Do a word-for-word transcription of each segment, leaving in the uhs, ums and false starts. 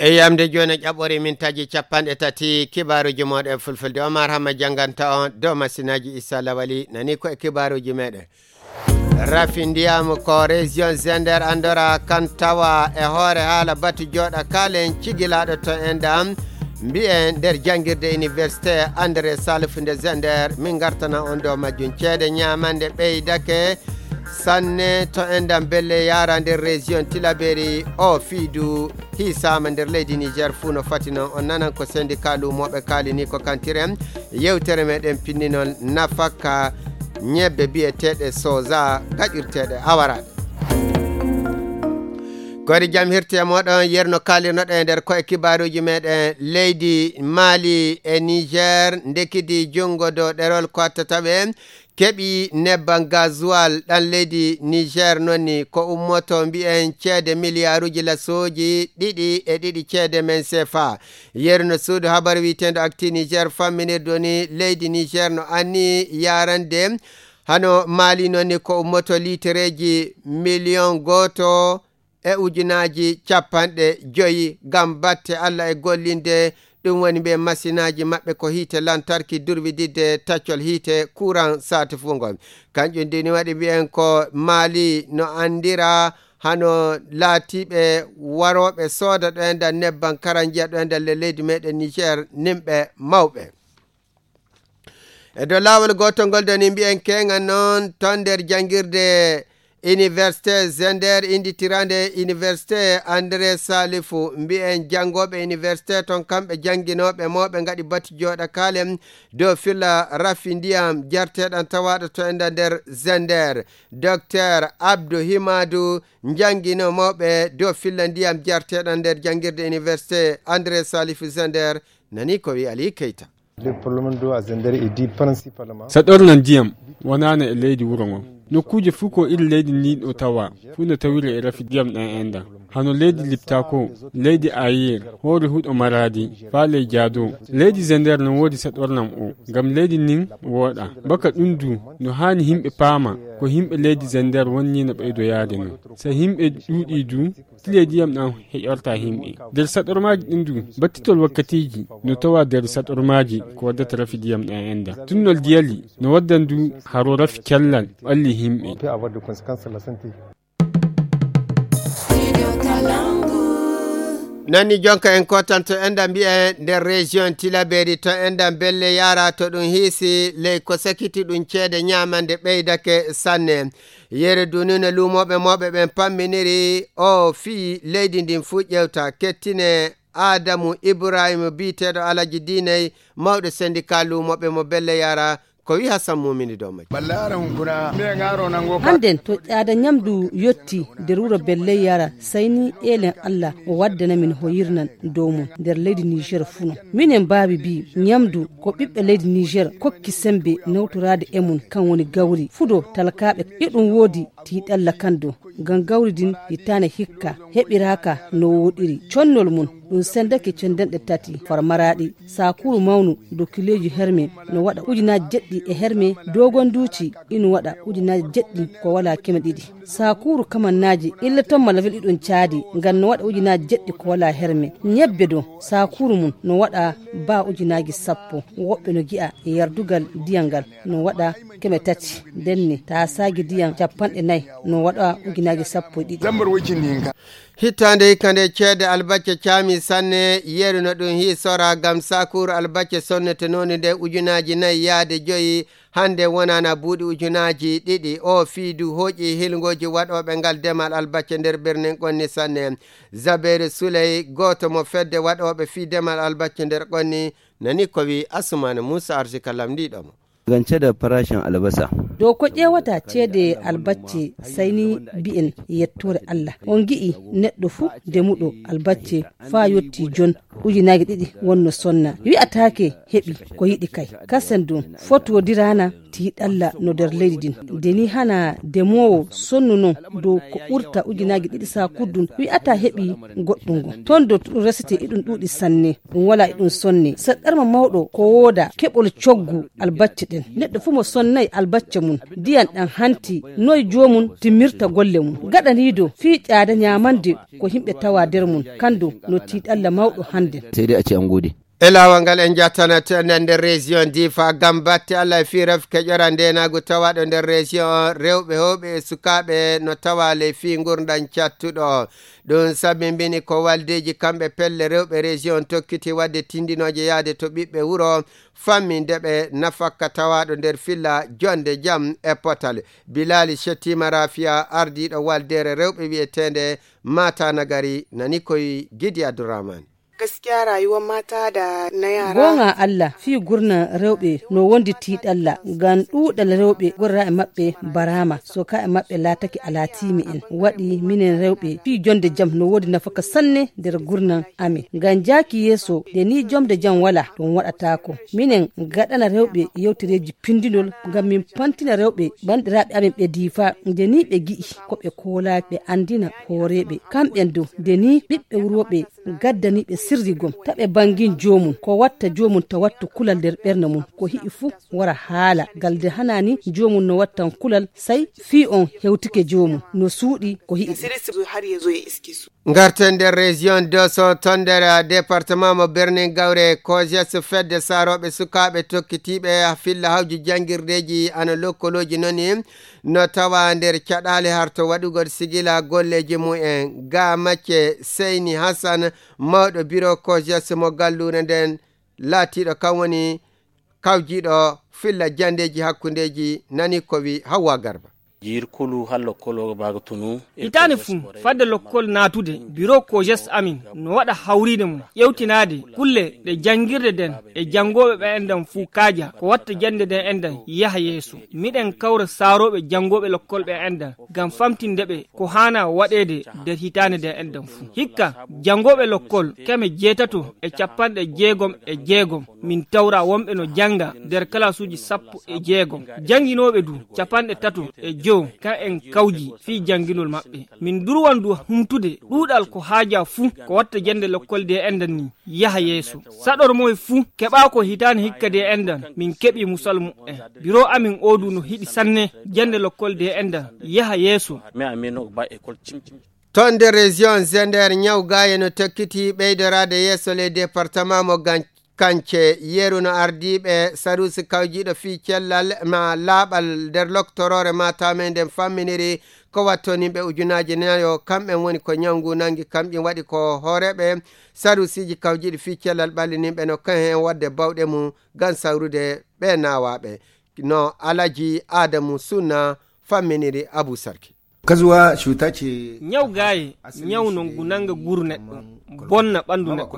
Yamde jooni ƴaɓɓore min taji capanɗe tati kibaaruuji mooɗon e fulfulde. Omar Hamma jannganta on dow masinaaji Issa Lawali. Nani ko e kibaaruuji meɗen. Rafi ndiyam ko région Zender anndora kan tawa e hoore haala batu jooɗa kaalen cigilaaɗo to enɗam. Mbiyen nder janngirde université André Salif nde Zender. Min ngartana on dow majjum. Ceede ñaamande ɓeydake sanne to enɗam belle yaara nder région Tilaberi o fiidu. Hiisaama nder leydi Niger fuu no fati noon. On nanan ko syndicat luumooɓe kaalini ko kantiren. Yewtere meɗen pinninol nafaka ñebbe biyeteeɗe soja gaƴirteeɗe awaraaɗe. Koyɗe jam hirti e mooɗon yerno kaalirnoɗen e nder koye kibaaruuji meɗen. Leydi Mali e Niger ndekidi junngo dow ɗerol ko attata ɓe keɓi nebban gazuwal ɗan leydi Niger nonni ko ummoto mbiyen ceede miliyaaruuji lasooji ɗiɗi e ɗiɗi ceede men sefa. Yeru no suudu habar wiiteendu Actu Niger famminirdu ni leydi Niger no anni yaarande hano Mali nonni ko ummoto liitereeji miliyon gooto e ujunaaji capanɗe joyi ngam batte Alla e gollinde. Ɗum woni ɓe masinaaji maɓɓe ko hiite lantarki durwididde taccol hiite kuran saati fuu ngol. Kanƴum ndini waɗi mbiyen ko Mali no anndira hano laatiiɓe warooɓe sooda ɗo e nder nebban karanjiya ɗo e nder le-, leydi meɗen Niger nimɓe mawɓe. E dow laawol gootol ngol doni mbiyen keeŋa noon ton nder janngirde Université Zender, innditirande Université André Salifu. Mbiyen janngooɓe université ton, kamɓe jannginooɓe mo ɓe ngaɗi batu jooɗa kaalen dow filla rafi ndiyam jarteeɗan tawaaɗo to enda nder Zender. Docteur Abdou Himadou, jannginoo mawɓe dow filla ndiyam jarteeɗan nder janngirde Université André Salifu Zender, nani ko wi Ali Keita. Le problème d'eau à Zender est dû principalement. Saɗorlan ndiyam wonaano e leydi wuro ngon. Nokkuuje fuu ko iri leydi ndin ɗo tawa, fuu no tawiri e rafi ndiyam ɗan enɗan. Hano leydi Liptako, leydi Ayir, hoore huɗo Maradi, faa ley Jaado. Leydi Zender no woodi saɗorlan o, ngam leydi ndin wooɗa. Baka ɗum du, no haani yimɓe paama ko yimɓe leydi Zender wonni no ɓeydoyaade non. So yimɓe ɗuuɗii du, tile ndiyam ɗam heƴorta yimɓe. Nder saɗormaaji ɗin du, battitol wakkatiiji no tawa nder saɗormaaji ko waddata rafi ndiyam ɗam enda. Tunnol diyali no waddan du haro rafi cellal ɓalli yimɓe. On peut avoir des conséquences sur la santé. Nani jonka en kotanto enda mbiyen nder région Tilaberi to enda belle yara to ɗum hiisi ley ko sakiti ɗum ceede ñaamande ɓeydake sanne. Yere dunune luumooɓe mooɓe ɓen pamminiri o fii leydi ndin fuu ƴewta kettine Adamu Ibrahima biyeteeɗo Alaji Diiney mawɗo syndicat luumooɓe mo belle yara ko wi Hassan Mumini dow majji. Hannden to ƴaada ñamdu yotti nder wuro belle yara sayni eelen Allah o waddana min hoyirnan dow mum nder leydi Niger funo. Minen mbaawi mbii ñamdu ko ɓiɓɓe leydi Niger kokki sembe nawtoraade e mum kan woni gawri fudo talkaaɓe e ɗum woodi tiiɗalla kan dow ngam gawri din hitaane hikka heɓiraaka no wooɗiri connol mum ɗum sendake cendanɗe tati farmaraaɗi saakuru mawnu dow kileeji herme no waɗa ujunaaji jeɗɗi e herme dogonduuci ino waɗa ujunaaji jeɗɗi ko walaa keme ɗiɗi. Sakuuru kamannaaji illa ton ma level ɗiɗon caadi ngam no waɗa ujunaaji jeɗɗi ko walaa herme. Ñebbe dow sakuuru mum no waɗa baa ujunaaji sappo. Woɓɓe no gi'a e yardugal ndiyam ngal no waɗa keme tati. Ndenne taasaaji ndiyam capanɗe nayi no waɗa ujunaaji sappo e ɗiɗi. Hitaande hikka nde ceede albacce caami sanne, yeru no ɗum hiisora ngam sakuuru albacce sonnete nooni nde ujunaaji nayi yaade joyi. Hannde wonana buuɗi ujunaaji ɗiɗi, o fii du hooƴi hilngooji waɗooɓe ngal demal albacce nder birnin Qonni sanne. Zaberi Suley, gooto mo fedde waɗooɓe fii demal albacce nder Qonni, nani ko wi Asumana Muusa Arsika lamndiiɗo mo. Gance da farashin albasa. Dow ko ƴeewata ceede albacce, sayni mbi'en yettoore Allah. On ngi'i neɗɗo fuu demuɗo albacce faa yotti jon ujunaaji ɗiɗi wonno sonna. Wi'ataake heɓi ko yiɗi kay. Kasen ɗum fotodiraana Tiiɗalla no nder leydi ndin. Nde ni hana demoowo sonnu non dow ko ɓurta ujunaaji ɗiɗi saakuddun wi'ata heɓi goɗɗum ngon. Ton do ɗum resete iɗum ɗuuɗi sanne, ɗum wala iɗum sonne. Saɗɗarma mawɗo ko wooda keɓol coggu albacce ɗen. Neɗɗo fuu mo sonnay albacce mum, ndiyan ɗan hanti noy joomum timmirta golle mum. Gaɗaniido fii ƴaada ñaamande ko himɓe tawa nder mum, kandu no tiiɗalla mawɗo hannden. Sey dai a ce an gode. E laawol ngal en njattana tenen nder région Difa ngam batte Allah e fii rafi keƴora ndeenaagu tawaaɗo nder région on, rewɓe heewɓe e sukaaɓe no tawa ley fii ngurndan cattuɗo. Ɗum sabimbini ko waldeeji kamɓe pelle rewɓe région on tokkiti waɗde tindinooje yahde to ɓiɓɓe wuro famminde ɓe nafakka tawaaɗo nder filla jonde jam e potal. Bilali Shettima Rafia, ardiiɗo waldeere rewɓe wi'eteende Mata Nagari, nani koy Gidi Abdurrahman. Gaskiya rayuwar mata da na yara. Goonga Allah, fii gurna rewɓe no wondi tiiɗalla, ngam ɗuuɗal rewɓe gorra e maɓɓe baraama, soka e maɓɓe laatake alaatiimi en. Waɗi minen rewɓe fii jonde jam no woodi nafaka sanne nder gurna amin. Ngam jaaki yeeso, nde ni jomde jam wala, ɗum waɗataako. Minen gaɗana rewɓe yewtereeji pindinol, ngam min pantina rewɓe bandiraaɓe amin ɓe Difa, nde ni ɓe gi'i ko ɓe koolaa, ɓe andina hooreeɓe. Kamɓen dow, nde ni ɓiɓɓe wurooɓe gaddani ɓe sirri gom, ta ɓe bangin joomum, ko watta joomum ta wattu kulal nder ɓernde mum, ko hi'i fuu wara haala, ngal nde hanani joomum no wattan kulal, sai fii on hewtike joomum, no suuɗi ko hi'i ɗum. Ngarten nder région Dosso, ton nder département mo Birnin Gawre, kojes fedde saarooɓe sukaaɓe tokkitiiɓe filla hawju janngirdeeji ana lokkolooji noni, no tawa nder caɗaale harto waɗugol sigila golleeji mumen. Ga macce Seyni Hassan, mawɗo biro kojes mo galluure nden, laatiiɗo kan woni kawjiiɗo filla janndeeji hakkundeeji, nani ko wi Hawwa Garba. Jiir kulu hal lokkol o baaga tunu. Hitaande fuu, fadde lokkol naatude, biro kojes amin no waɗa hawriinde mum, ƴewtinaade kulle ɗe janngirde nden e janngooɓe ɓe endan fuu kaaja, ko watta jannde nden endan yaha yeeso. Miɗen kawra saarooɓe janngooɓe lokkol ɓe endan, ngam famtinde ɓe ko haana waɗeede nder hitaande nden endan fuu. Hikka, janngooɓe lokkol keme jeetato e capanɗe jeegom e jeegom, min tawra wonɓe no jannga nder kalaasuuji sappo e jeegom. Jannginooɓe du capanɗe tato e jowo, kan en kawji fii jannginol maɓɓe. Min durwan du humtude ɗuuɗal ko haaja fuu ko watta jannde lokkol de endan ni yaha yeeso. Saɗor moy fuu keɓa ko hitaande hikka de endan, min keɓi musal mu'en. Biro amin oo du no hiɗi sanne jannde lokkol de endan yaha yeeso. Ton nder région Zender, ñaw gaaye no tokkiti ɓeydoraade yeeso ley département mo Gan-, Kance. Yeru no ardiiɓe saruusi kawjiiɗo fii cellal ma laaɓal nder loktoroore Matamey nden famminiri ko wattonimɓe ujunaaji nayo, kamɓen woni ko ñaw ngu nangi, kamƴum waɗi ko hooreeɓe saruusiiji kawjiiɗi fii cellal ɓallininɓe no kan heen waɗde bawɗe mum ngam sawrude ɓe naawaaɓe. No Alaji Adamu Sunna famminiri Abu Sarki. Kazuwa cuta ce. Ñaw gaaye, ñaw non ngu nanga guru neɗɗo, bonna ɓandu neɗɗo.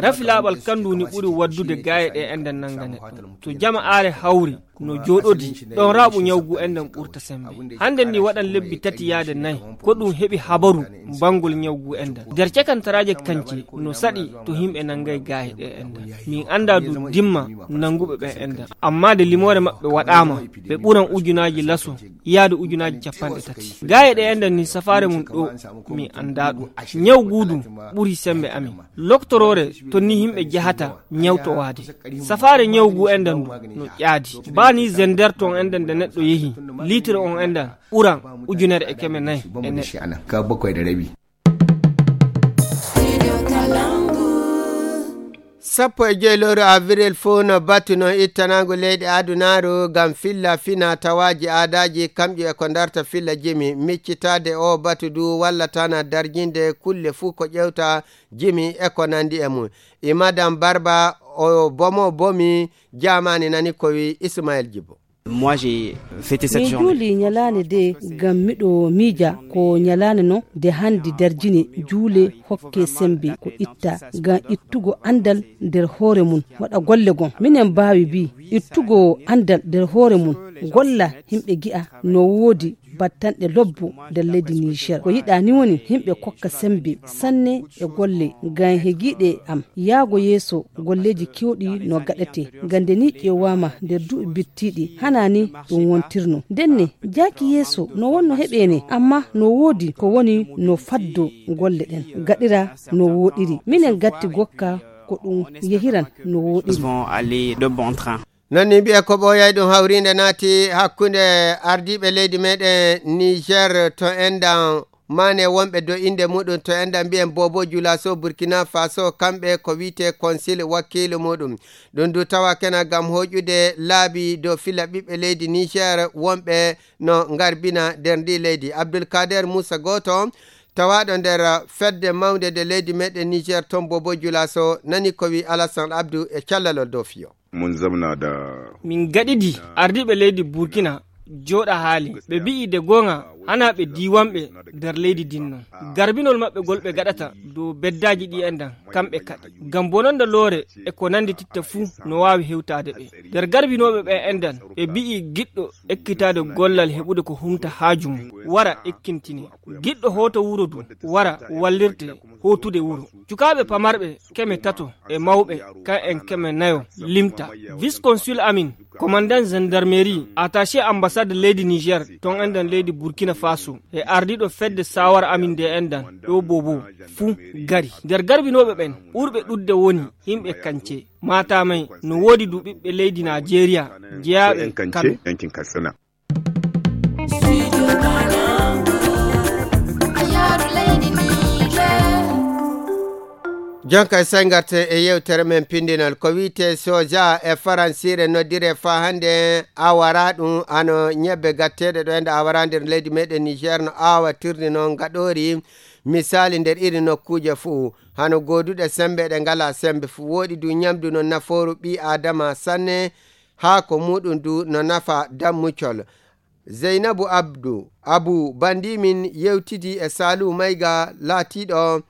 Rafi laaɓal kandu ni ɓuri waddude gaaye ɗe enda nanga neɗɗo. To jama aare hawri, no jooɗodi, ɗon raaɓu ñaw gu endan ɓurta sembe. Hande ni waɗan lebbi tati yaade nayi, ko ɗum heɓi habaru bangol ñaw gu endan. Nder cakantaraaje kance, no saɗi to himɓe nangay gaaye ɗe endan. Min anda du dimma nanguɓe ɓe endan. Amma de limoore maɓɓe waɗaama, ɓe ɓuran ujunaaji laso yaade ujunaaji capanɗe tati. Gaaye ɗe enɗan ni safaare mum ɗo mi anndaa ɗum. Ñaw guudu ɓuri semmbe amin. Loktoroore to ni yimɓe jahata ñawtowaade. Safaare ñaw gu enɗan ndu no ƴaadi. Baa ni zender ton enɗan nde neɗɗo yehi, litre on enɗan ɓuran ujunere e keme nayi e neɗɗo. Sappo e joy lewru avril fuu no batu non ittanaangu leyɗe adunaaru ngam filla fina tawaaji aadaaji, kamƴum e ko ndarta filla jimi. Miccitaade oo batu du wallataana darjinde kulle fuu ko ƴewta jimi e ko nandi e mum. E Madam Barba o bomo bomi jaamaani nani ko wi Ismael Jibo. Moi, j'ai fêté cette journée. Mi juuli ñalaande de ngam miɗo miija ko ñalaande non de handi darjini juule hokke sembe ko itta ngam ittugo andal nder hoore mum waɗa golle gon. Minen mbaawi bi ittugo andal nder hoore mum golla himɓe gi'a no woodi battanɗe lobbo nder leydi Niger. Ko yiɗaa ni woni yimɓe kokka sembe sanne e golle ngam hegiiɗe am. Yaago yeeso golleeji keewɗi no gaɗete. Ngam nde ni ƴeewaama nder duuɓi bittiiɗi, hanaa ni ɗum wontirno. Ndenne, jaaki yeeso no wonno heɓeene, amma no woodi ko woni no faddo golle ɗen. Gaɗira no wooɗiri. Minen gatti gokka ko ɗum yehiran no wooɗiri. Non ni mbiye ko ɓooyay ɗum hawriinde naati hakkunde ardiiɓe leydi meɗen Niger to enɗan maane wonɓe do innde muɗum to enɗan mbiyen Bobo Julaso Burkina Faso, kamɓe ko wiyte konsil wakkiilu muɗum. Ɗum du tawa kena ngam hoƴude laabi dow fila ɓiɓɓe leydi Niger wonɓe no ngarbina nder ndi leydi. Abdulkader Musa, gooto tawaaɗo nder fedde mawnde nde leydi meɗen Niger ton Bobo Julaso, nani ko wi Alassane Abdou e callalol dow fiyo. Mun zamna da. Min gaɗidi ardiiɓe leydi Burkina jooɗa haali. Ɓe mbi'i de goonga, hanaa ɓe diiwanɓe nder leydi din non. Garbinol maɓɓe ngol ɓe gaɗata dow beddaaji ɗi enɗan, kamɓe kaɗi. Ngam bononda loore e ko nanndi titta fuu no waawi hewtaade ɓe. Nder garbinooɓe ɓe enɗan, ɓe mbi'i giɗɗo ekkitaade gollal heɓude ko humta haaju mum, wara ekkintine. Giɗɗo hoota wuro du, wara wallirte hootude wuro. Cukaaɓe pamarɓe keme tato e mawɓe kan en keme nayo limta. Vice consul amin, commandant gendarmerie, attaché ambassade leydi Niger ton enɗan leydi Burkina Faso, e ardiiɗo fedde sawara amin nde enɗan ɗo Bobo fuu gari. Nder garbinooɓe ɓen, ɓurɓe ɗudde woni yimɓe kance. Matamay no woodi du ɓiɓɓe leydi Najeriya jeyaaɓe Kano. Jonka e sey ngarten e yewtere men pindinal. Ko wiyte soja e faransiire noddire faa hannde awara ɗum ano ñebbe gatteeɗe ɗo ende awara nder leydi meɗen Niger no aawa tirni noon ngaɗoori misali nder iri nokkuuje fuu, hano gooduɗe sembe ɗe ngala sembe fuu. Wooɗi du ñamdu no nafooru ɓii aadama sanne, haako muɗum du no nafa dammucol. Zeynabu Abdu Abu Bandimin yewtidi e Salihu Mayga laatiiɗo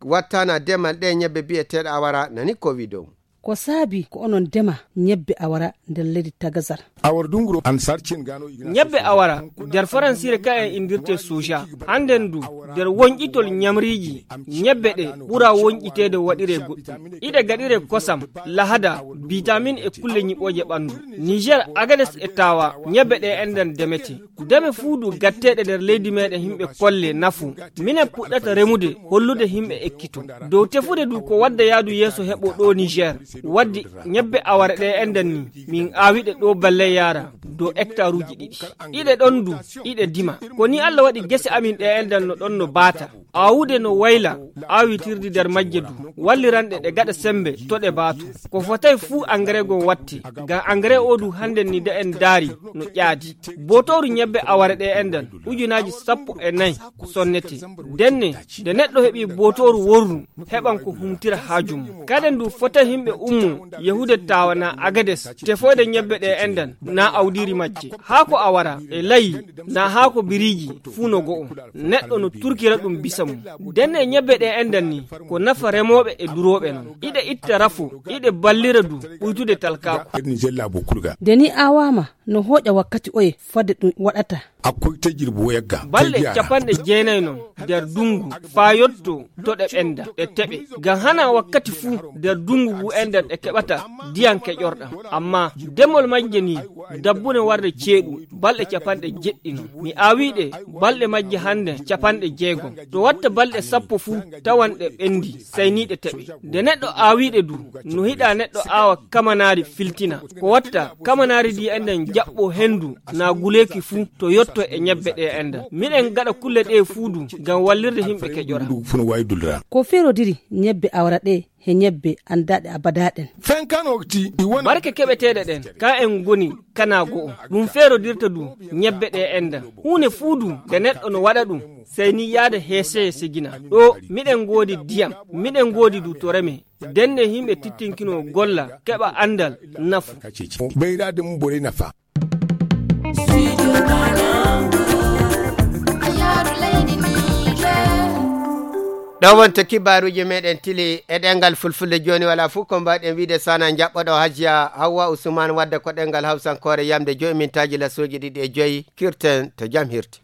wattana demal ɗe ñebbe bi'eteeɗe awara, nani ko wi dow. Ko saabi ko onon dema ñebbe awara nder leydi Tagazar? Awar dunguro an sarcin gano igna. Ñebbe awara nder faransiire ka en indirte soja. Hannden du nder wonƴitol ñamriiji, ñebbe ɗe ɓura wonƴiteede waɗire goɗɗum. Iɗe gaɗire kosam, lahada, bitamin e kulle ñiɓooje ɓanndu. Niger, Agades e Tawa, ñebbe ɗe enɗan demete. Deme fuu du gatteeɗe nder leydi meɗen yimɓe kolle nafu. Minen puɗɗata remude hollude yimɓe ekkito. Dow tefude du ko wadda yaadu yeeso heɓo ɗo Niger. Waddi ñebbe aware ɗe enɗan ni, min aawiɗe ɗo balle yaara dow hektaruuji ɗiɗi. Iɗe ɗon du, iɗe dima. Ko ni Allah waɗi gese amin ɗe enɗan no ɗon no baata. Aawude no wayla, aawitirdi nder majje du, walliranɗe ɗe gaɗa sembe to ɗe baatu. Ko fotay fuu angare goo watte, ngam angare oo du hannden ni nde en ndaari no ƴaadi. Bootooru ñebbe aware ɗe enɗan, ujunaaji sappo e nayi sonnete. Ndenne, nde neɗɗo heɓi bootooru worru, heɓan ko humtira haaju mum. Kaden du fotay yimɓe ummo yahude Tawa naa Agades, tefoyde ñebbe ɗe enɗan, naa awdiiri majje. Haa ko awara e layi, naa haa ko biriiji, fuu no go'o. Neɗɗo no turkira ɗum bisa mum. Ndenne ñebbe ɗe enɗan ni, ko nafa remooɓe e durooɓe non. Iɗe itta rafo, iɗe ballira du ɓuytude talkaaku. Iɗen jella bo kulga. Nde ni aawaama, no hooƴa wakkati oye fodde ɗum waɗata? Akkoy tejjir bo yagga. Balɗe capanɗe jeenayi non nder dungu faa yotto to ɗe ɓenda, ɗe teɓe. Ngam hanaa wakkati fuu nder dungu ngu enɗan ɗe keɓata ndiyan keƴorɗan. Amma demol majje ni dabbune warde ceeɗu balɗe capanɗe jeɗɗi non. Mi aawiɗe balɗe majje hannde capanɗe jeegom. To watta balɗe sappo fuu tawan ɗe ɓendi, sey ni ɗe teɓe. Nde neɗɗo aawiɗe du, no hiɗa neɗɗo aawa kamanaari filtina. Ko watta kamanaari ndi enɗan jaɓɓo hendu naa guleeki fuu to yotto e ñebbe ɗe enɗan. Miɗen gaɗa kulle ɗe fuu du ngam wallirde yimɓe keƴora. Ɗum fuu no waawi duldira. Ko feerodiri ñebbe awra ɗe he ñebbe anndaaɗe abadaa ɗen? Fen kan wakti ɗi wona. Barke keɓeteeɗe ɗen, ka en ngoni kana go'o. Ɗum feerodirta du ñebbe ɗe enɗan. Huunde fuu du nde neɗɗo no waɗa ɗum, sey ni yaada heese sigina. Ɗo miɗen ngoodi diyam, miɗen ngoodi du to reme. Ndenne yimɓe tittinkinoo golla, keɓa anndal, nafu. Ɓeydaade mum borey nafa. Ɗo wonto kibaaruuji meɗen tili e ɗengal fulfulde jooni wala fof ko mbaɗen wiide sana jaɓɓoɗo Hajiya Hawwa Usman wadde ko ɗengal hawsankoore yamde joyi mintaaji la sooji ɗiɗi e joyi kirten to jam hirti.